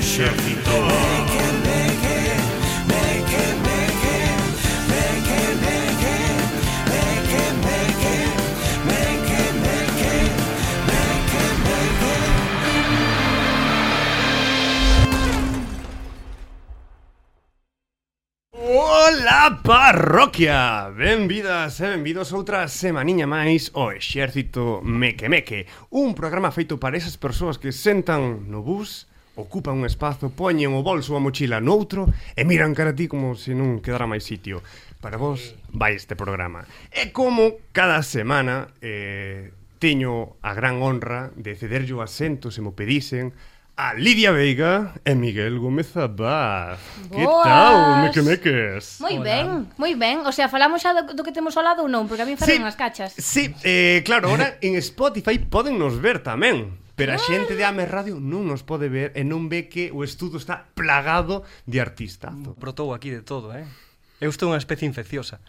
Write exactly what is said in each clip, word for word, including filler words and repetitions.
exército. Ola parroquia, benvidas e benvidos outra semaniña máis ao Exército Meque Meque. Un programa feito para esas persoas que sentan no bus, ocupan un espazo, poñen o bolso ou a mochila noutro e miran cara a ti como se non quedara máis sitio. Para vos vai este programa. E como cada semana eh, teño a gran honra de cederlle o asento se mo pedisen a Lidia Veiga e Miguel Gómez Abad. Que tal, meque meques? Moi ben, moi ben. O sea, falamos xa do, do que temos ao lado ou non? Porque a mí falan as cachas. Sí, eh, claro, ahora en Spotify poden nos ver tamén. Pero a xente de Ames Radio non nos pode ver e non ve que o estudo está plagado de artistazo. Brotou aquí de todo, eh? Eu estou unha especie infecciosa.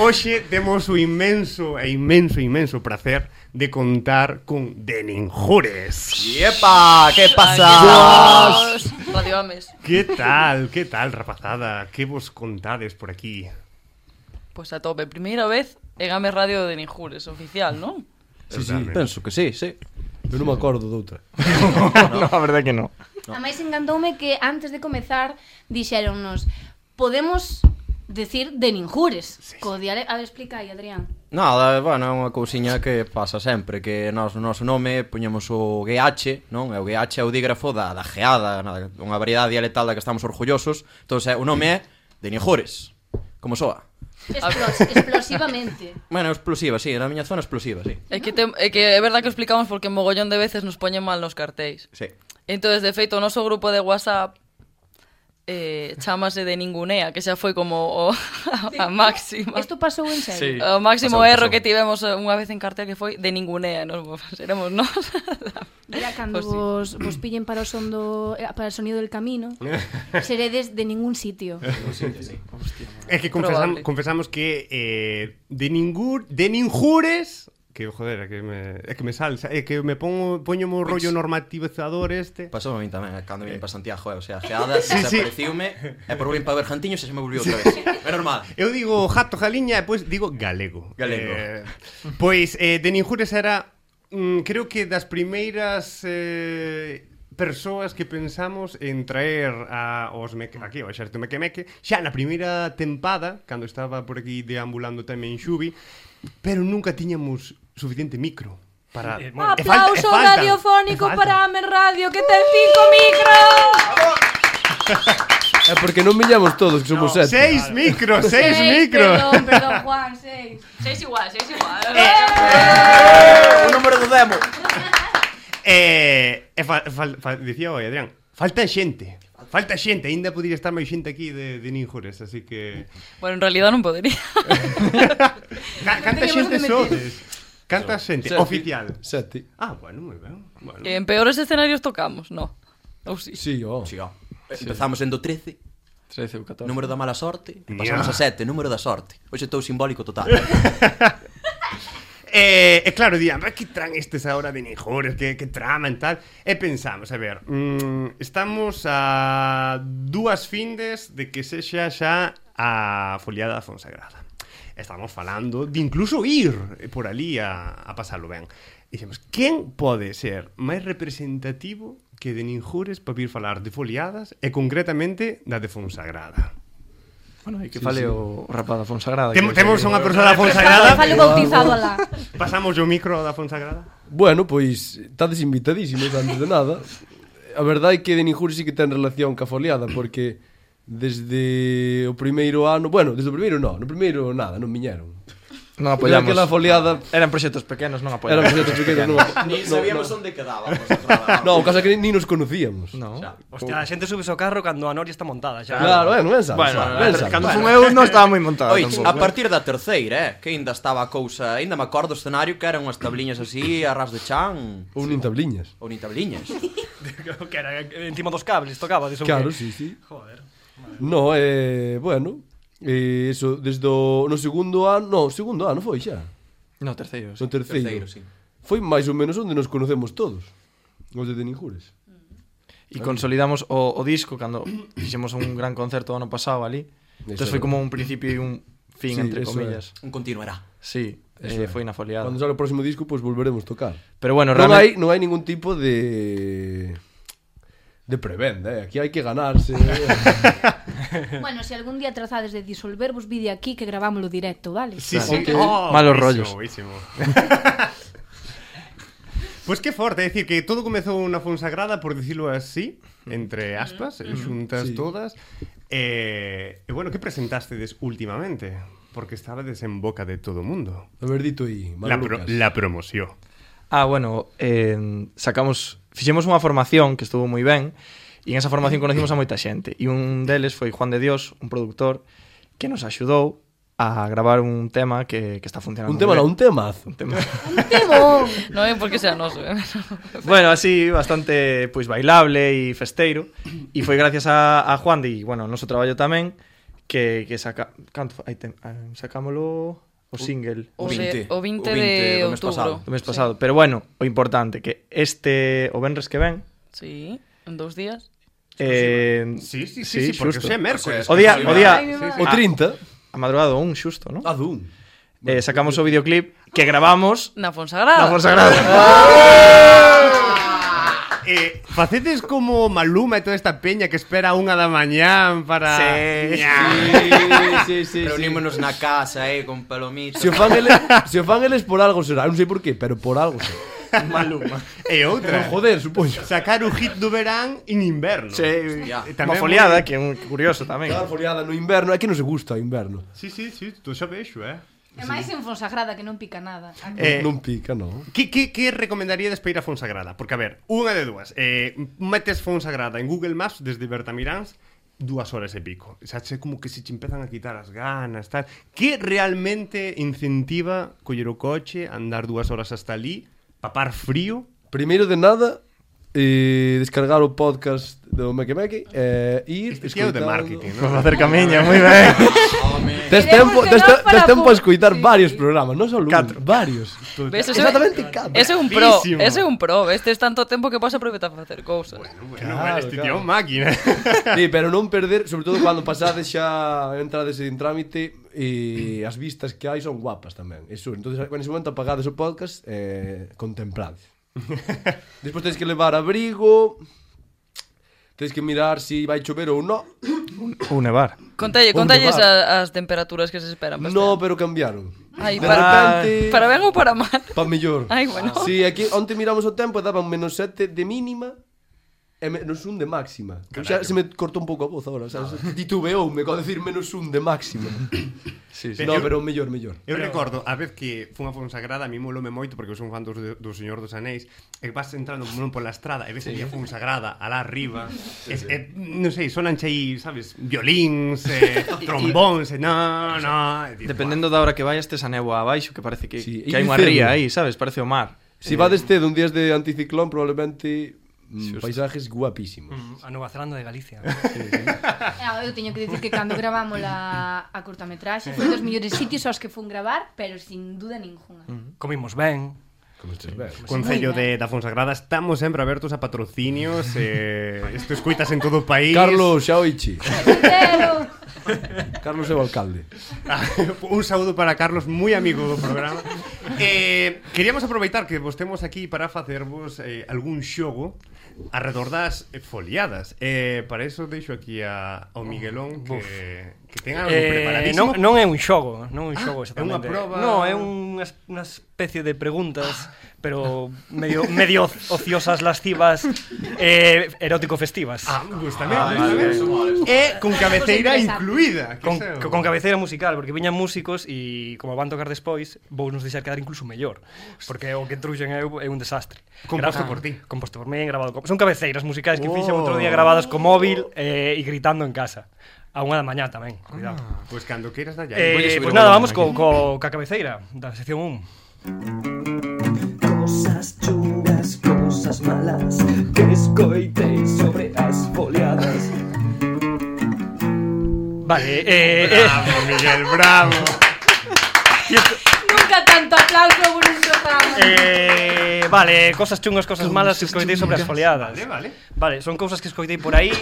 Hoxe temos o inmenso e inmenso, inmenso placer de contar con Deninjures. ¡Yepa! ¿Qué pasa? Radio Ames. Que tal, que tal, rapazada? Que vos contades por aquí? Pois a tope, primeira vez en Ames Radio de Ninjures, oficial, non? Sí, sí, penso que sí, sí. Eu non me acordo doutra. No, a verdade que non. No. A máis encantoume que antes de comezar dixéronnos podemos decir de Ninjures. Sí, sí. Co diale... A ver, explica aí, Adrián. Nada, bueno, é unha cousiña que pasa sempre, que nós no noso nome poñemos o G H, non? E o G H é o dígrafo da, da geada, unha variedade dialectal da que estamos orgullosos. Entón, o nome é de Ninjures. Como soa? Explos, explosivamente. Bueno, explosiva, sí, na miña zona explosiva, sí. É que, te, é que é verdad que explicamos porque mogollón de veces nos poñen mal nos cartéis. Sí. Entonces, de feito, o noso grupo de WhatsApp eh, chamase de Ningunea, que xa foi como o, a, a máxima. Isto pasou en serio? Sí. O máximo pasou, erro pasou. que tivemos unha vez en cartel que foi de Ningunea, nos seremos nós. Mira, cando Pues vos, vos pillen para o son do, para o sonido del camino, seredes de ningún sitio. Sí, sí. É que confesam, confesamos que eh, de, ningur, de Ninjures... Que, joder, é que me, é que me salsa, é que me pongo, poño o rollo normativizador este. Pasou a mí tamén, cando vim para Santiago, eh, o sea, geada, sí, desapareciume, e por volvín para ver Jantiños e se me volviu outra vez. É normal. Eu digo jato, jaliña, e depois digo galego. Galego. Eh, pois, eh, de Ninjures era, mm, creo que das primeiras... Eh, persoas que pensamos en traer a os meque, aquí ao Exército Meque Meque xa na primeira tempada, cando estaba por aquí deambulando tamén Xubi, pero nunca tiñamos suficiente micro para... Eh, bueno, aplauso falta, radiofónico para Ames Radio, que ten cinco micros. É porque non millamos todos, que somos no, sete. Seis micros, seis, seis micros. Perdón, perdón, Juan, seis. Seis igual, seis igual. Eh, eh, o número do demo. Eh, e fa, fa, fa, dicía oi, Adrián, falta xente. Falta xente, aínda podría estar máis xente aquí de, de Ninjures, así que... Bueno, en realidad non podería. Canta xente sodes? Canta xente? Sete. Oficial? Sete. Ah, bueno, moi ben. Bueno. Que en peores escenarios tocamos, no. Ou si? Sí, ó. Sí, ó. Empezamos en do trece, trece ou catorce. número da mala sorte, Ya. pasamos a sete, número da sorte. Hoxe estou simbólico total. E, e claro, dian, que tran estes agora de Ninjures, que, que traman tal. E pensamos, a ver, mmm, estamos a dúas findes de que sexa xa a foliada da Fonsagrada. Estamos falando de incluso ir por ali a, a pasalo ben. E dixemos, quen pode ser máis representativo que de Ninjures para vir falar de foliadas e concretamente da de Fonsagrada? Bueno, hai que Sí, fale sí. o rapaz da Fonsagrada. Tem, que temos sei unha que- persoa da Fonsagrada. Falo bautizado alá. Pasamos o micro da Fonsagrada. Bueno, pois, estades invitadísimos antes de nada. A verdade é que de Ninjures sí que ten relación ca foliada, porque desde o primeiro ano... Bueno, desde o primeiro non, no primeiro nada, non viñeron. Non apoiamos. Aquela foliada... Eran proxectos pequenos, non Eran apoiamos. proxectos pequenos, non... Ni no, sabíamos no. onde quedaba. Fonsagrada. No, o caso é que ni nos conocíamos. No. Hostia, a xente subes ao carro cando a noria está montada xa. Claro, bueno, ben sabes. Bueno, ben sabes. cando fun eu non estaba moi montada Oi, tampouco. a partir da terceira, eh, que ainda estaba a cousa, ainda me acordo o escenario que eran unhas tabliñas así, a ras de chan, Ou nin tabliñas. ou ni tabliñas. Que era encima dos cables, tocaba diso. Claro, sí, sí. Joder. No, eh, bueno, eh, eso, desde o, no segundo ano, no, segundo ano foi xa. No, terceiro. No terceiro. Terceiro, sí. Foi máis ou menos onde nos conocemos todos. Os de Deninjures. E consolidamos o, o disco cando fixemos un gran concerto o ano pasado ali. Entón foi como un principio e un fin, Sí, entre eso comillas. Un continuará. Sí, Eso eh, é. foi na foliada. Cando salga o próximo disco, pois pues volveremos tocar. Pero bueno, Non hai, realmente... non hai ningún tipo de... de prebenda, eh? Aquí hai que ganarse. Bueno, se algún día trazades de disolvervos, vide aquí que gravámoslo directo, vale? Sí, Claro. sí. Ok. Oh, Malos buenísimo, rollos. buenísimo. Pois pues que forte, é dicir, que todo comezou na Fonsagrada, por dicirlo así, entre aspas, mm. xuntas Sí. todas. E, e bueno, que presentastedes últimamente? Porque estabades en boca de todo o mundo. A ver, dito aí, La, pro, Lucas. la promoción. Ah, bueno, eh, sacamos... Fixemos unha formación que estuvo moi ben e en esa formación conocimos a moita xente e un deles foi Juan de Dios, un productor que nos axudou a gravar un tema que, que está funcionando Un tema moi non, un ben. temazo. Un tema. Un temón! Non é porque sea noso, eh? Bueno, así, bastante pois bailable e festeiro e foi gracias a, a Juan de, bueno, noso traballo tamén que, que saca... Canto? Aí tem, eh, sacámolo... O single O, vinte. se, o vinte O vinte de do mes pasado. outubro. do mes pasado. Pero bueno, o importante que este o venres que ven Sí, en dous días. eh, Sí, sí, sí, sí, sí porque xusto. xe é mércoles. O día, o día Ai, mi Sí, sí. O trinta. a madrugada do un xusto, ¿no? A dun. Eh, sacamos o videoclip que grabamos Na Fonsagrada. na Fonsagrada. Eh, facedes como Maluma e toda esta peña que espera a unha da mañán para... Sí. Sí, sí, sí. Reunímonos na casa, eh, con palomitas. Se o fan eles, se o fan eles por algo será, non sei por qué, pero por algo será. Maluma. E outra, Por joder, supoño. sacar o hit do verán en inverno. Sí, Ya. E Unha tamén foliada, moi- que é un curioso tamén. Dar foliada no inverno, é que non se gusta o inverno. Sí, sí, sí, tú xa vexo, eh. E máis en Fonsagrada que non pica nada. Eh, Non pica, non. Que, que, que recomendaríades para ir a Fonsagrada? Porque, a ver, unha de dúas. Eh, metes Fonsagrada en Google Maps desde Bertamiráns, dúas horas e pico. Xa che como que se che empezan a quitar as ganas, tal. Que realmente incentiva coller o coche, andar dúas horas hasta ali, papar frío? Primeiro de nada, eh, descargar o podcast do Meque Meque e eh, ir Este tío de escoitando- marketing, Vamos ¿no? a hacer camiña, moi ben. Tes Queremos tempo, que tes, nos te- tes para tempo pu- a escoitar sí, varios sí. programas, non só un, Catro. varios. Ves, ese, Exactamente catro. ese é un pro, Capísimo. ese é un pro. Estes tanto tempo que podes aproveitar para facer cousas. Bueno, bueno, Claro, bueno, este tío é claro. un máquina. Sí, pero non perder, sobre todo cando pasades xa entrades en trámite e as vistas que hai son guapas tamén. Eso, entonces, en ese momento apagades o podcast eh, contemplades. Despois tens que levar abrigo, tens que mirar se si vai chover ou non. Un nevar. Contalle, Onde contalles vas? a, as temperaturas que se esperan para este No, ano. pero cambiaron. Ai, De para, repente, para ben ou para mal? pa mellor. Ai, bueno. Sí, aquí onte miramos o tempo e daban menos sete de mínima e menos un de máxima. O sea, se me cortou un pouco a voz agora, o sea, titubeoume con decir menos un de máxima. Sí, sí. No, pero mellor, mellor. Eu recordo, a vez que fun a Fonsagrada, a mí molome moito porque eu son fan dos, do Señor dos Anéis, e vas entrando non pola estrada e ves ali a Fonsagrada alá arriba, sí, sí. E, e, non sei, sonan aí, sabes, violíns, e, trombóns, e no, no, e, dices, Dependendo da hora que vayas, tes a néboa abaixo, que parece que, Sí, que hai e unha cero. ría aí, sabes? Parece o mar. Si vades tedo un días de anticiclón, probablemente mm, Xusto. paisajes guapísimos. Mm, a Nova Zelanda de Galicia. Ah, eu teño que dicir que cando gravamos a, a cortametraxe foi dos mellores sitios aos que fun gravar, pero sin duda ninguna. Comimos ben. Como estes ver. Concello de, da Fonsagrada, estamos sempre abertos a patrocinios, eh, isto escuitas en todo o país. Carlos Xaoichi. Pero... Carlos é o alcalde. Un saúdo para Carlos, moi amigo do programa. Eh, queríamos aproveitar que vos temos aquí para facervos eh, algún xogo arredor das eh, foliadas. Eh, para iso deixo aquí a, ao Miguelón que, que ten algo Eh, preparadísimo. non, non é un xogo, non é un xogo é unha exactamente. proba- Non, é unha, unha especie de preguntas, pero medio medio ociosas, lascivas, eh, erótico festivas. Ah, gustame, gustame. E con cabeceira incluída. Que Con, xa- con cabeceira musical, porque viñan músicos e como van tocar despois, vou nos deixar quedar incluso mellor, porque o que truxen é, é un desastre. Composto Gra- por ti. Composto por mí, grabado con... Son cabeceiras musicais que Oh. fixen outro día grabadas co móvil eh, e gritando en casa. A unha da mañá tamén, cuidado. Pois cando queiras da Eh, Voy a subir pues o nada, volumen vamos co, co, ca cabeceira da sección un. Cosas chungas, cosas malas que escoitei sobre as foliadas. Vale, eh, eh, Bravo, Miguel, bravo. Nunca tanto aplauso por un programa. eh, Eh, vale, cosas chungas, cosas malas que escoitei sobre as foliadas. Vale, vale. Vale, son cousas que escoitei por aí,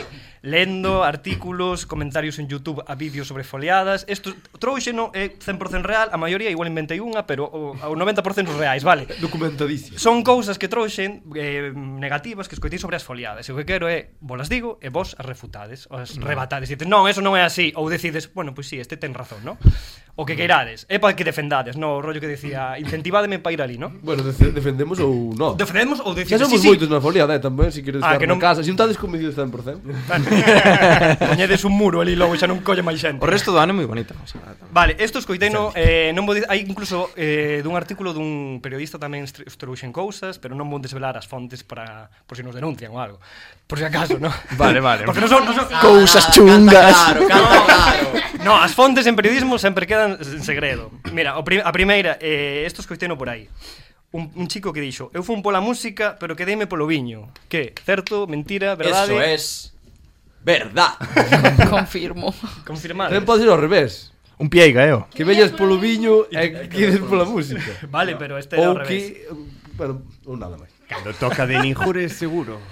lendo artículos, comentarios en YouTube a vídeos sobre foliadas. Isto trouxeno é cen por cento real, a maioría igual inventei unha, pero o, o noventa por cento reais, vale. Documentadísimo. Son cousas que trouxen eh, negativas que escoitei sobre as foliadas. E o que quero é, vos las digo e vos as refutades, ou as rebatades. Dices, non, eso non é así. Ou decides, bueno, pois pues sí, este ten razón, ¿no? O que queirades. É para que defendades, no? O rollo que decía, incentivádeme para ir ali, ¿no? Bueno, def- defendemos ou non. Defendemos ou Xa decides, somos sí, sí. moitos na foliada, eh, tamén, se queres Ah, estar que na non- casa. Se non estades convencidos cen por cento. Poñedes un muro ali, logo xa non colle máis xente. O resto do ano é moi bonita. O sea, Vale, isto escoiteno, eh, non vou di- hai incluso eh, dun artículo dun periodista tamén estru- trouxen cousas, pero non vou desvelar as fontes para por se si nos denuncian ou algo. Por si acaso, ¿no? Vale, vale. Porque non son, non son Cousas chungas. Claro, canta claro. No, as fontes en periodismo sempre quedan en segredo. Mira, o pri a primeira, eh, isto escoiteno por aí. Un, un chico que dixo, eu fun pola música, pero quedeime polo viño. Que? Certo? Mentira? Verdade? Eso es verdad. Confirmo. Confirmado. Tamén pode ser ao revés. Un pieiga, eu. Que veñas polo viño e quedes pola música. Vale, pero este era Ou ao revés. que... Bueno, ou nada máis. Cando toca de ninjures, seguro.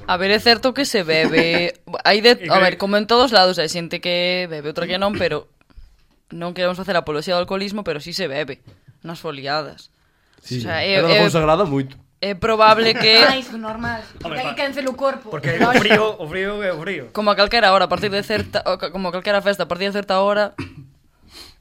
A ver, é certo que se bebe. Hai de, a ver, como en todos lados hai xente que bebe, outra que non, pero non queremos facer apoloxía do alcoholismo, pero sí se bebe nas foliadas. Sí, O sea, é, é- era é- consagrada moito. É probable que Ah, iso normal. Hombre, Porque hai pa- que cancel o corpo. Porque o frío, o frío é o frío. como a calquera hora, a partir de certa, o ca- como a calquera festa, a partir de certa hora,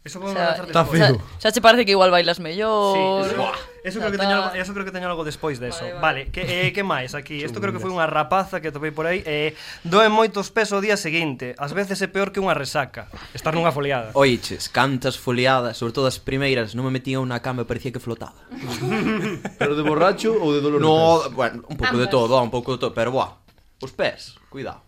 Eso o podemos sea, lanzar Está despois. feo. xa, xa che parece que igual bailas Sí, mellor. eso, eso creo que Xa teño está. algo, eso creo que teño algo despois deso. Vale, Vale, vale. que eh, que máis aquí? Isto creo que foi unha rapaza que topei por aí, eh, doen moitos pesos o día seguinte. Ás veces é peor que unha resaca, estar nunha foliada. Oiches, cantas foliadas, sobre todo as primeiras, non me metía unha cama e parecía que flotaba. Pero de borracho ou de dolor de No, pés? bueno, un pouco de Ambas. todo, un pouco de todo, pero buah, os pés, cuidado.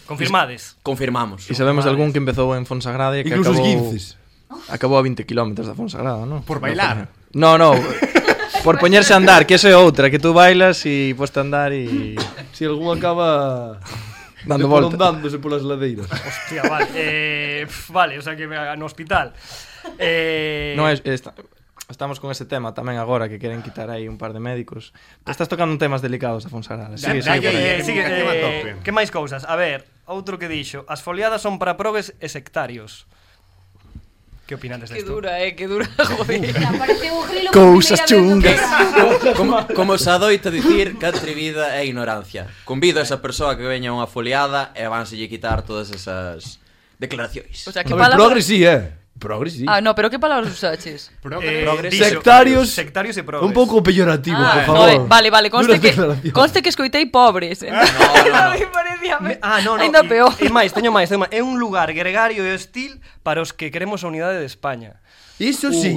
Confirmades. Confirmamos. E sabemos de algún que empezou en Fonsagrada e que Incluso os acabou... guinces. Acabou a vinte kilómetros da Fonsagrada, non? Por bailar. No, no. Por poñerse a andar, que eso é outra, que tú bailas e poste a andar e... Si algún acaba Dando volta. dándose polas ladeiras. Hostia, vale. Eh, pf, vale, o sea que no hospital. Eh, Non é, esta, estamos con ese tema tamén agora que queren quitar aí un par de médicos. Estás tocando temas delicados a Fonsagrada. Sigue, Da- sigue por dalle- aí. Eh, sigue, comunicación a eh, tope. que máis cousas? A ver, outro que dixo, as foliadas son para progues e sectarios. Que opinades Que desto? dura, eh, que dura, joder. Apareceu o grilo Cousas por primeira vez no programa. Como, como se adoita dicir que atrevida é ignorancia. Convido a esa persoa que veña a unha foliada e vanselle quitar todas esas declaracións. O sea, que A ver, palabra... progres sí, eh. Progres sí. Ah, no, pero que palabras usaches? Eh, Progres. dixo- Sectarios. Sectarios e progres. Un pouco peyorativo, por Ah, favor. joder, vale, vale, conste Duras que, declaracións. conste que escoitei pobres. Eh? no, no. A mí parecíame Ah, no, no. ainda e- peor. E máis, teño máis, teño máis. É un lugar gregario e hostil para os que queremos a unidade de España. Iso sí.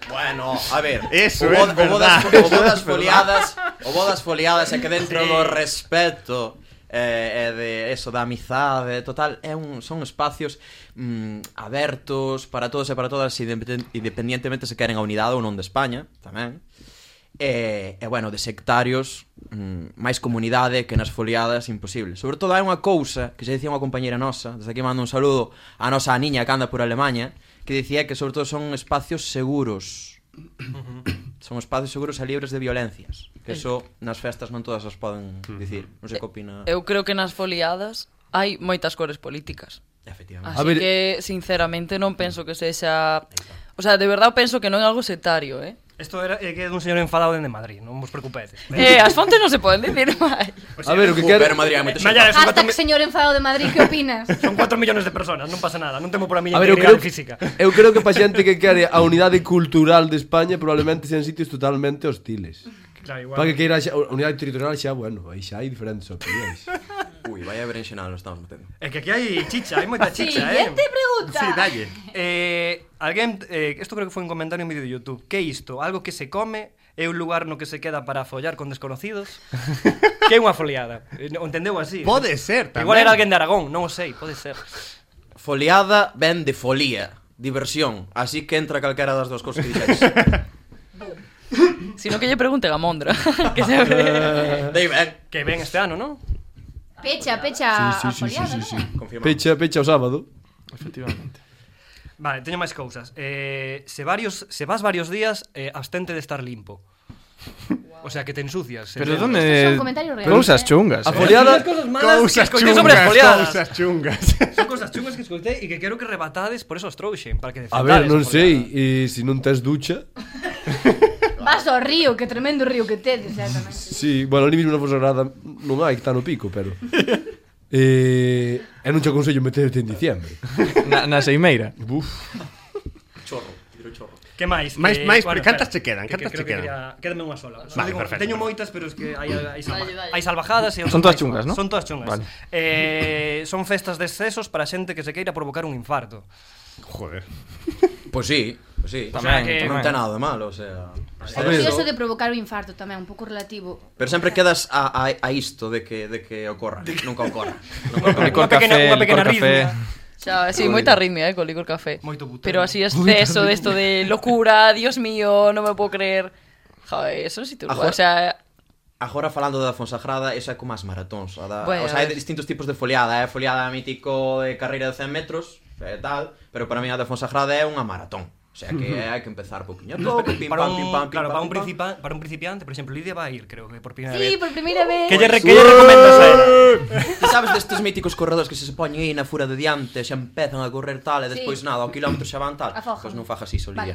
Bueno, a ver, Eso o, é bo- o bo das, verdad. o bo das foliadas, o bo das foliadas é que dentro Sí. do respeto eh, e de eso da amizade, total, é un son espacios mm, abertos para todos e para todas, independen- independientemente se queren a unidade ou non de España, tamén. E, e bueno, de sectarios, mm, máis comunidade que nas foliadas imposible. Sobre todo hai unha cousa que xa dicía unha compañera nosa, desde aquí mando un saludo a nosa niña que anda por Alemanha, que dicía que sobre todo son espacios seguros. Son espacios seguros e libres de violencias. Que eso nas festas non todas as poden dicir. Non sei que opina. Eu creo que nas foliadas hai moitas cores políticas. Efectivamente. Así A ver- que, sinceramente, non penso que sexa... O sea, de verdade penso que non é algo sectario, eh? Isto era é que é dun señor enfadado dende Madrid, non vos preocupedes. Eh, as fontes non se poden dicir máis. A ver, o que Uh, quero... pero Madrid hai moita Malla, xente. son catro, Hashtag mi- señor enfado de Madrid, que opinas? son cuatro millones de personas, non pasa nada, non temo por a miña A ver, eu integridade creo, física. eu creo que pa xente que quere a unidade cultural de España probablemente sean sitios totalmente hostiles. Claro, igual. Para que queira xa, a unidade territorial xa, bueno, aí xa hai diferentes opinións. Ui, vaya berenxenal nos estamos metendo. É que aquí hai chicha, hai moita chicha, eh. Siguiente pregunta. Sí, dalle. Eh, alguén, eh, isto creo que foi un comentario en vídeo de YouTube. Que é isto? Algo que se come? É un lugar no que se queda para follar con desconocidos? Que é unha foliada? Eh, O entendeu así? Pode ser, tamén. Igual era alguén de Aragón, non o sei, pode ser. Foliada ven de folía, diversión. Así que entra calquera das dúas cousas que dixetes. Sino que lle pregunten a Mondra. Que se ve. Dei ben. Que ven este ano, non? Pecha, pecha Sí, sí, a sí, foliada, sí, sí, sí. non é? Confirmamos. Pecha, pecha o sábado. Efectivamente. Vale, teño máis cousas. Eh, se varios se vas varios días, eh, abstente de estar limpo. O sea, que te ensucias. Pero eh, donde... Estos son comentarios reales, Cousas eh. chungas, A eh. foliada... cosas malas Cousas que escoitei sobre as chungas, foliadas. cousas chungas. Son cousas chungas que escoitei e que quero que rebatades, por eso os trouxen, para que A defendades. ver, non a sei, foliada. e se non tes ducha... Vas ao río, que tremendo río que tedes, eh, tamén. Sí, bueno, ali mesmo na Fonsagrada non hai, que está no pico, pero... eh, e non te aconsello meterte en diciembre. Na, na Seimeira. Buf. Chorro, tiro chorro. Que máis? Máis- Eh, máis, bueno, cantas espera, che quedan? que- que Cantas creo che que quedan? quería- Quédame unha sola. Só Vale, digo, perfecto. teño moitas, pero es que hai, hai, salva, Dalle, dalle. hai salvajadas e Son outras todas máis chungas, suaves. ¿no? Son todas chungas. Vale. Eh, son festas de excesos para xente que se queira provocar un infarto. Joder. Pois sí, pois sí. Tamén, que- Non tamén. ten nada de malo, o sea... É curioso de provocar o infarto tamén, un pouco relativo. Pero sempre quedas a, a, a isto de que, de que ocorra. Nunca ocorra. Nunca ocorra. Licor Unha pequena- café, unha pequena licor café. arritmia. Xa, sí, moita arritmia, eh, con licor café. Moito butano. Pero así exceso de esto de locura, Dios mío, no me puedo creer. Joder, eso sí te lo... Ajo- O sea, Agora falando da Fonsagrada, esa é como as maratóns. A da, Bueno, o sea, hai a ver. distintos tipos de foliada. É foliada mítico de carreira de cen metros, e tal, pero para mí a da Fonsagrada é unha maratón. O sea, que hai que empezar poquinho a pouco, pim para pam, un, pim pam, pim claro, pam, para un, pim pam. principa, para un principiante, por exemplo, Lidia vai a ir, creo que por primeira Sí, vez. por primeira vez. Que lle, re- que lle recomendas a ela? Ti sabes destes míticos corredores que se se poñen aí na fura de diante, xa empezan a correr tal, e despois Sí. nada, ao quilómetro xa van tal. Afojan. Pois non fajas iso, Lidia.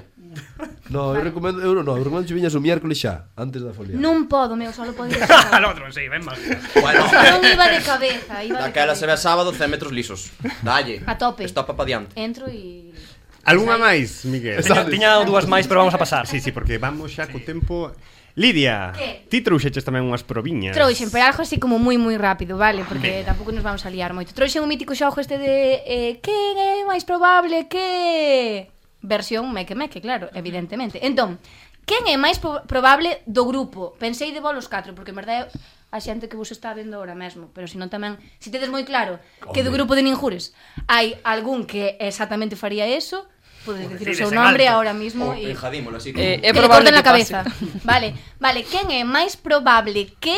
No, eu recomendo, eu non, eu recomendo que viñas o miércoles xa, antes da foliada. Non podo, meu, só podo ir Al sábado. outro, sí, ven mal. Bueno, Non iba de cabeza, iba de daquela se ve cabeza. sábado cen metros lisos. Dalle. A tope. Estopa pa diante. Entro e... Algunha máis, Miguel? Tiña, tiña dúas máis, pero vamos a pasar. Sí, sí, porque vamos xa co tempo. Lidia, Que? ti trouxeches tamén unhas proviñas. Trouxen, pero algo así como moi moi rápido, vale? Porque tampouco nos vamos a liar moito. Trouxen un mítico xogo este de eh, quen é máis probable que... Versión meque meque, claro, evidentemente. Entón, quen é máis po- probable do grupo? Pensei de vos os catro, porque en verdade a xente que vos está vendo ahora mesmo, pero senón tamén, se tedes moi claro que do grupo de Ninjures hai algún que exactamente faría eso, podes dicir o decides seu en nome alto. ahora mismo O e... enjadímolo así. eh, que é le probable corten que a cabeza. pase. Vale, vale, quen é máis probable que...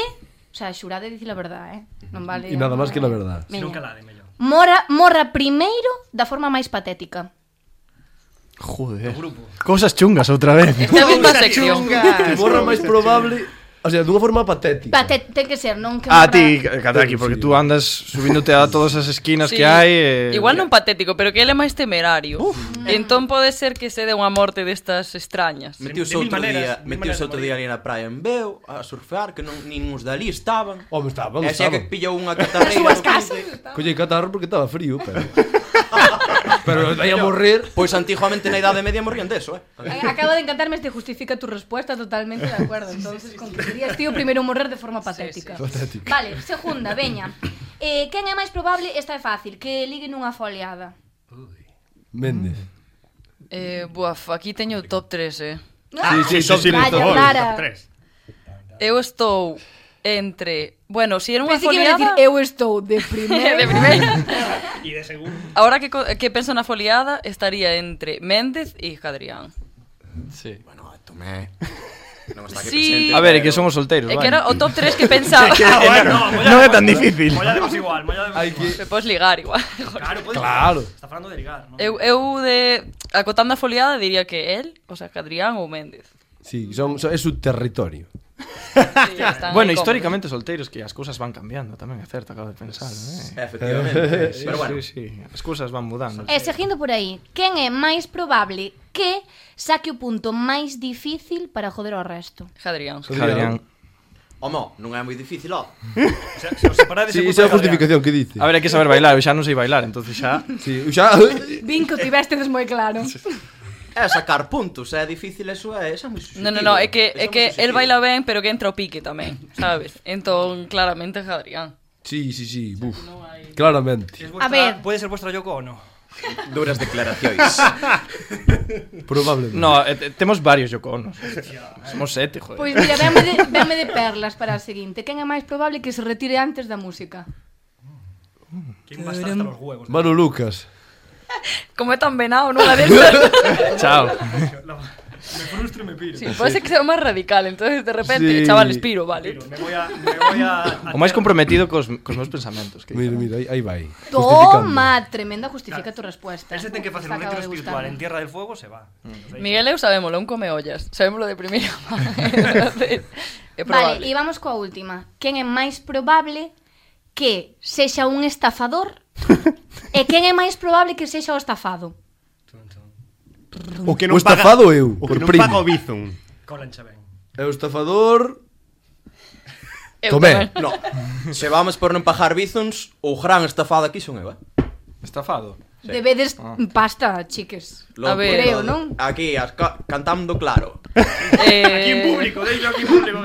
O sea, xurade dicir a verdade, eh? Non vale... E nada máis que la verdad. Si Veña. non calade, mellor. Morra, morra primeiro da forma máis patética. Joder. Grupo. Cousas chungas outra vez. esta mesma sección. Que morra máis probable, o sea, dunha forma patética. Paté, ten que ser, non que A morra... ti, Kataki, porque tú andas subíndote a todas as esquinas Sí. que hai eh... Igual non patético, pero que ele é máis temerario. Entón pode ser que se dé unha morte destas extrañas. Metiuse De mil outro maneiras, día, de mil metiuse maneiras outro de día ali na praia en Veo a surfear, que non nin uns dali estaban. Home, estaban, E xa que estaban. pillou unha catarreira. súas do casas. quince. Collei catarro porque estaba frío, pero... pero vai a morrer... Pois antiguamente na idade media morrían deso, eh. Acaba de encantarme este justifica tu respuesta totalmente de acuerdo. Entonces, con que serías tío primeiro morrer de forma patética. Patética. Vale, segunda, veña. Eh, quen é máis probable, esta é fácil, que ligue nunha foliada. Méndez. Eh, buaf, aquí teño o top tres, eh. Sí, sí, sí, sí, Vaya, top Lara. tres. Eu estou entre... Bueno, si era unha Pensei que iba a foliada... decir, eu estou de primeiro. de primeira. E de segundo. Ahora que, co- que penso na foliada, estaría entre Méndez e Jadrián. Sí. Bueno, tomé. Non está aquí Sí. presente. A ver, é pero- que somos solteiros, É que era o vale. top tres que pensaba. Ah, bueno, Non é tan difícil. Mollademos igual, mollademos Hai igual. que... Me podes ligar igual. Claro, puedes Claro. Está falando de ligar, ¿no? Eu, eu de... Acotando a foliada diría que él, o sea, Jadrián ou Méndez. Sí, son, son, é su territorio. Sí, están Bueno, aí históricamente solteiros, que as cousas van cambiando tamén, é certo, acabo de pensar, eh? Efectivamente. Sí, Pero bueno, sí, sí, as cousas van mudando. E seguindo por aí, quen é máis probable que saque o punto máis difícil para joder ao resto? cómodos. Jadrián. Jadrián. Homo, non é moi difícil, ó. O sea, se os separades Sí, ese esa é a punto de justificación que dice. A ver, hai que saber bailar, eu xa non sei bailar, entonces xa... Sí, xa... Vin que o tivestedes moi claro. É sacar puntos, é difícil eso, é, esa é moi subjetivo. No, no, no, é que, Eso é que moi el subjetivo. baila ben, pero que entra o pique tamén, sabes? Entón, claramente Jadrián. Sí, sí, sí, buf. Claramente. Es A vuestra, ver. Puede ser vuestra Yoko o no. Duras declaracións. Probablemente. No, eh, te- temos varios Yoko Onos. Somos sete, joder. Pois mira, véame de, véame de perlas para a seguinte. Quen é máis probable que se retire antes da música? ¿Quién va a estar hasta los huevos? Manu Lucas. Como é tan venado nunha destas. Chao. Me frustro e me piro. Sí, pode ser que sea o máis radical, entonces de repente, Sí. chavales, piro, vale. Piro, me voy a... Me voy a, a O máis comprometido cos, cos meus pensamentos. Que Mira, dicen. mira, aí, aí vai. Justificando. Toma, tremenda justifica tu respuesta. Ese ten que facer un Esta acaba retiro de espiritual gustarme. en Tierra del Fuego, se va. Miguel eu sabémolo, un come ollas. Sabémolo de primeira mano. Entonces, é Vale, probable. e vamos coa última. Quen é máis probable que sexa un estafador e quen é máis probable que sexa o estafado? O que O estafado eu, O por que non primo. paga o Bizum. Colancha ben. É o estafador... Eu Tomé. tamén. No. Se vamos por non pagar bizons, o gran estafado aquí son eu, eh? Estafado. Sí. Debedes pasta, chiques. Loco, A ver. Creo, todo. non? Aquí, as ca cantando claro. Eh, Aquí en público, deixo aquí en público.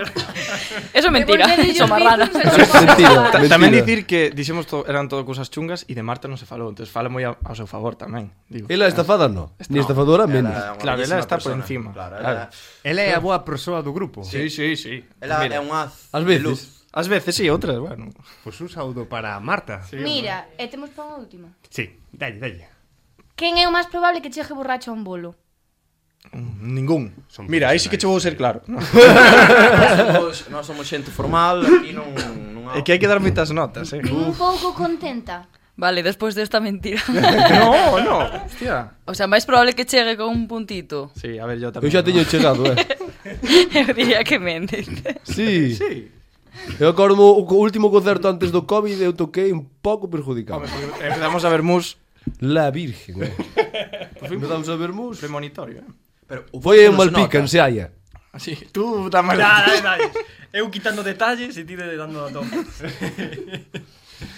Eso é mentira, Devolvede eso os marrana. bizums e Mentira, xogar. Ta- mentira. Tamén dicir que dixemos to, eran todo cousas chungas e de Marta non se falou, entonces fala moi a- ao seu favor tamén, digo. Ela é estafada, no. Ni estafadora, menos. Ela é unha Claro, ela bellísima está por persona. encima. Claro, Claro. ela, Ela é a boa persoa do grupo. Sí, sí, sí. ela Mira, é un haz Ás de veces. luz. ás veces sí, outras, bueno. Pois un saúdo para Marta. Mira, e temos para unha última. Sí, dalle, dalle. Quen é o máis probable que chegue borracho a un bolo? Mm, Ningún. Son Mira, aí sí que che vou ser claro. No? Nós somos, nós somos xente formal, aquí non, non É que hai que dar moitas notas, eh. Un pouco contenta. Vale, despois desta mentira. No, no, hostia. O sea, máis probable que chegue con un puntito. Sí, a ver, yo Eu tamén. xa teño chegado, eh. Eu diría que Méndez. Sí. Sí. Eu acordo o co- último concerto antes do COVID eu toquei un pouco perjudicado. Home, porque empezamos a ver mus La Virgen, eh. Empezamos a ver mus. premonitorio, eh. Pero o Foi en non se Malpica, nota. en Seaia. Así, tú tamén. Dale, dale, dale. Eu quitando detalles e ti de dando a tope.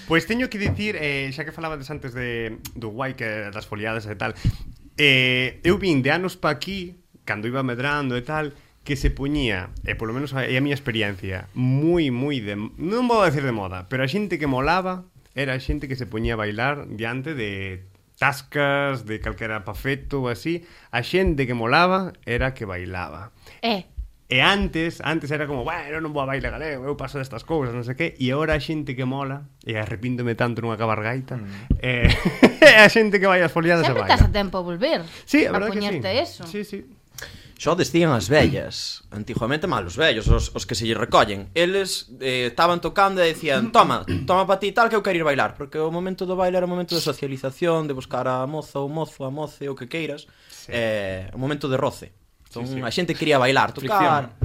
Pois teño que dicir, eh, xa que falabades antes de, do guai que das foliadas e tal, eh, eu vin de anos pa aquí, cando iba medrando e tal, que se puñía, e polo menos é a miña experiencia, moi, moi de... Non vou decir de moda, pero a xente que molaba era a xente que se puñía a bailar diante de tascas, de calquera pafeto ou así. A xente que molaba era a que bailaba. Eh, E antes, antes era como, bueno, non vou a baile galego, eu paso destas cousas, non sei que, e agora a xente que mola, e arrepíndome tanto nunha cabargaita, mm. eh, é a xente que vai ás foliadas e sempre baila. estás a tempo a volver. Sí, a a verdade que sí. poñerte eso. Sí, sí. Xo decían as vellas. Antiguamente mal os vellos, os, os que se lle recollen. Eles eh, estaban tocando e decían, toma, toma pa ti tal que eu quero ir bailar. Porque o momento do baile era o momento de socialización, de buscar a moza ou mozo, a moce, o que queiras. Sí. Eh, o momento de roce. Entón, sí, sí. A xente quería bailar, tocar.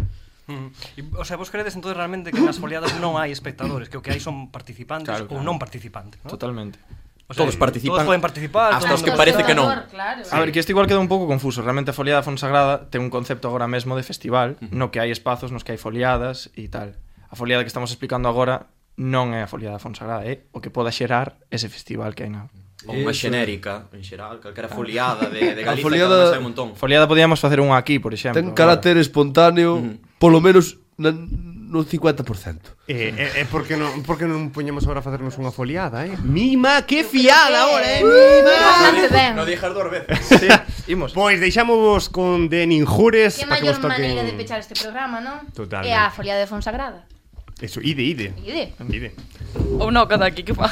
Mm. E, o sea, vos credes entonces realmente que nas foliadas non hai espectadores, que o que hai son participantes Claro, ou claro. non participantes, ¿no? Totalmente. O sea, Todos participan. Todos poden participar. Hasta todo os el que mundo- parece que non. Claro. A ver, que isto igual queda un pouco confuso. Realmente a foliada Fonsagrada ten un concepto agora mesmo de festival, uh -huh. no que hai espazos nos que hai foliadas e tal. A foliada que estamos explicando agora non é a foliada Fonsagrada, é o que poda xerar ese festival que hai na... Ou unha Eso. xenérica, en xeral, calquera foliada de, de A Galicia, foliada- que además hai un montón. Foliada podíamos facer unha aquí, por exemplo. Ten carácter espontáneo, polo menos na, no cincuenta por cento. Eh, eh, eh, porque non, porque non poñemos agora a facernos unha foliada, eh? Mima, que fiada ahora, eh? Mima! Bastante ben. No dijas dúas veces. Sí, imos. Pois deixámosvos con de Ninjures Que para que maior vos toquen... maneira de pechar este programa, non? Totalmente. É a foliada de Fonsagrada. Eso, ide, ide. Ide. Ide. Ou non, cada aquí que fa.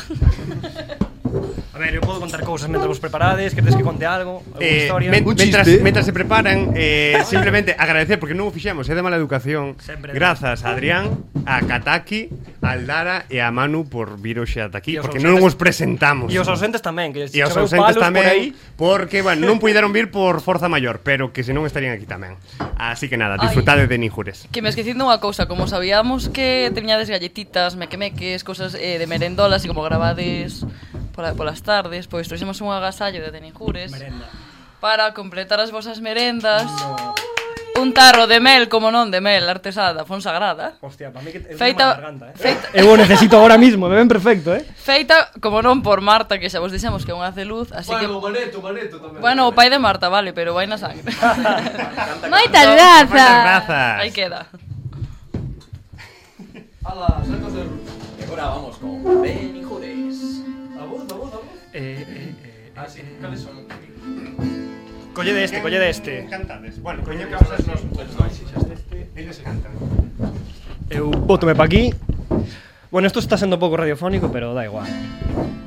A ver, eu podo contar cousas mentre vos preparades, queredes que conte algo, alguna Eh, historia. men- Un mentras, chiste. mentras se preparan, eh, simplemente agradecer, porque non o fixemos, é de mala educación. Sempre. Grazas a Adrián, a Kataki, a Aldara e a Manu por vir hoxe ata aquí, E os porque ausentes- non os presentamos. E os ausentes tamén, que E os choveu ausentes palos tamén, por aí. porque, bueno, non puideron vir por forza maior, pero que senón estarían aquí tamén. Así que nada, Ai. disfrutade de Ninjures. Que me esquecindo unha cousa, como sabíamos que teñades galletitas, mequemeques, cosas eh, de merendolas e como gravades pola, polas tardes, pois trouxemos un agasallo de Teninjures Merenda. para completar as vosas merendas. Un tarro de mel, como non, de mel artesada, Fonsagrada. Hostia, para mí que eu Feita- tengo garganta, eh. feita- Eu o necesito ahora mismo, me ven perfecto, eh. Feita, como non, por Marta, que xa vos dixemos que é un haz de luz, así que... Maneto, Maneto tamén. Bueno, o pai de Marta, vale, pero vai na sangre. Moitas Moitas grazas. grazas. Aí queda. Ala, sacos de ruta. E agora vamos con Benijures. A voz, a voz, a voz. Eh, eh, eh, Ah, sí, cales son? Colle de este, colle de este. Cantades. Bueno, coño, que Cosas vos nos... nos si xa este. Eles cantan. Eu bótome pa aquí. Bueno, esto está sendo un pouco radiofónico, pero da igual.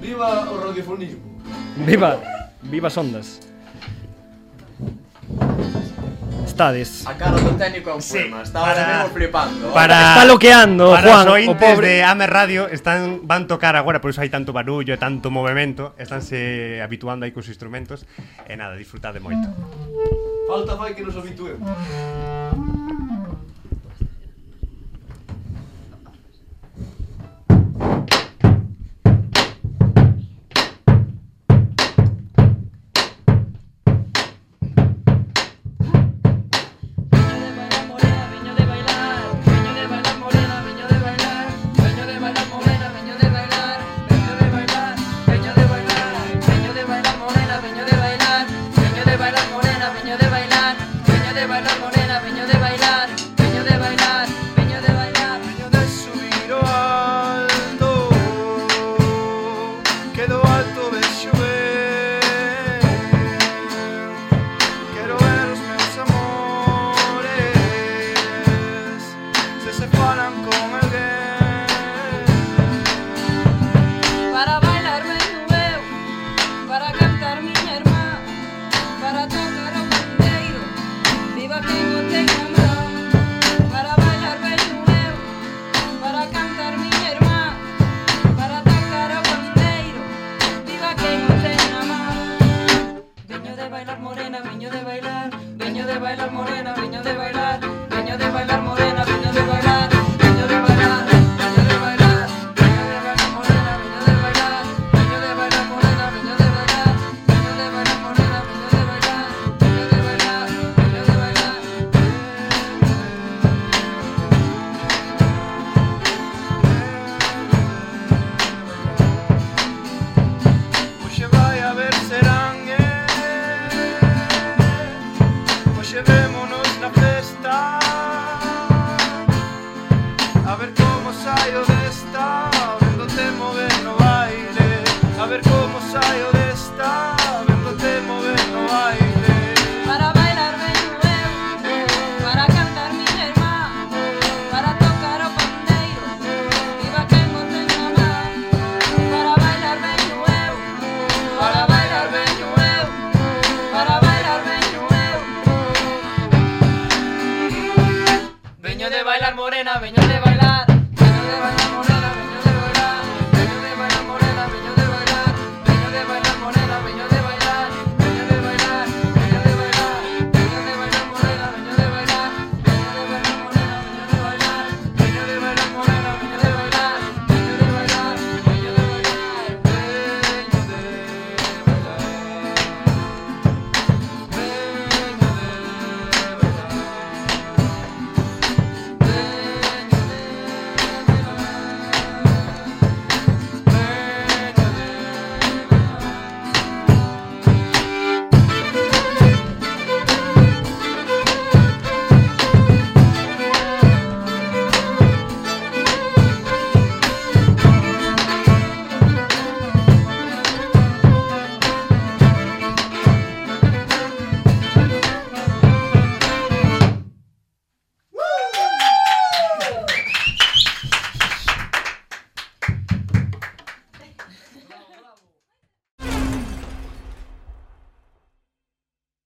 Viva o radiofonismo. Viva, viva as ondas. estades? A cara do técnico é un Sí, poema. Está para- ahora mesmo flipando. Para, Está loqueando, para Juan, os o ointes pobre. de Ame Radio están, van tocar agora, por iso hai tanto barullo e tanto movimento. Estánse habituando aí cos instrumentos. E nada, disfrutade moito. Falta fai que nos habituemos. Veño de bailar morena, veño de bailar, veño de bailar morena.